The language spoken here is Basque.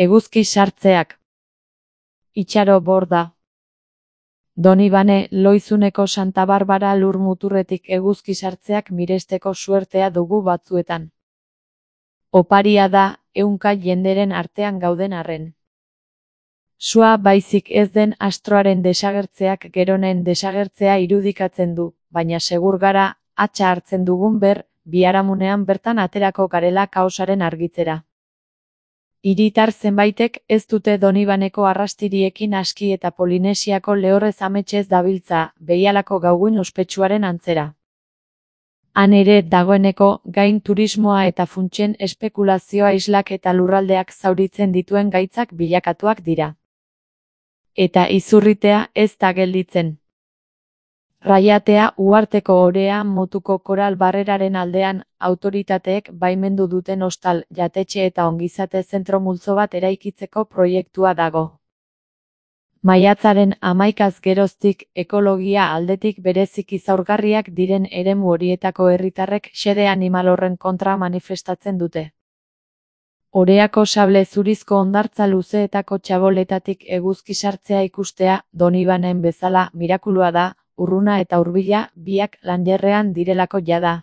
Eguzki sartzeak. Itxaro borda. Donibane, Loizuneko Santa Barbara lur muturretik eguzki sartzeak miresteko suertea dugu batzuetan. Oparia da, ehunka jenderen artean gauden arren. Sua baizik ez den astroaren desagertzeak geronen desagertzea irudikatzen du, baina segur gara, hatsa hartzen dugun biharamunean bertan aterako garela kaosaren argitzera. Hiritar zenbaitek ez dute Donibaneko arrastiriekin aski eta Polinesiako lehorrez ametsez dabiltza, behialako gauguin ospetsuaren antzera. Han ere dagoeneko gain turismoa eta funtsen espekulazioa islak eta lurraldeak zauritzen dituen gaitzak bilakatuak dira. Eta izurritea ez da gelditzen. Raiatea uharteko orea motuko koral barreraren aldean, autoritateek baimendu duten hostal, jatetxe eta ongizate zentro multzo bat eraikitzeko proiektua dago. Maiatzaren 11 geroztik ekologia aldetik bereziki zaurgarriak diren eremu horietako herritarrek xede animal horren kontra manifestatzen dute. Oreako sable zurizko hondartza luzeetako txaboletatik eguzki sartzea ikustea, Donibanen bezala, mirakulua da, urruna eta hurbila, biak lanjerrean direlako jada.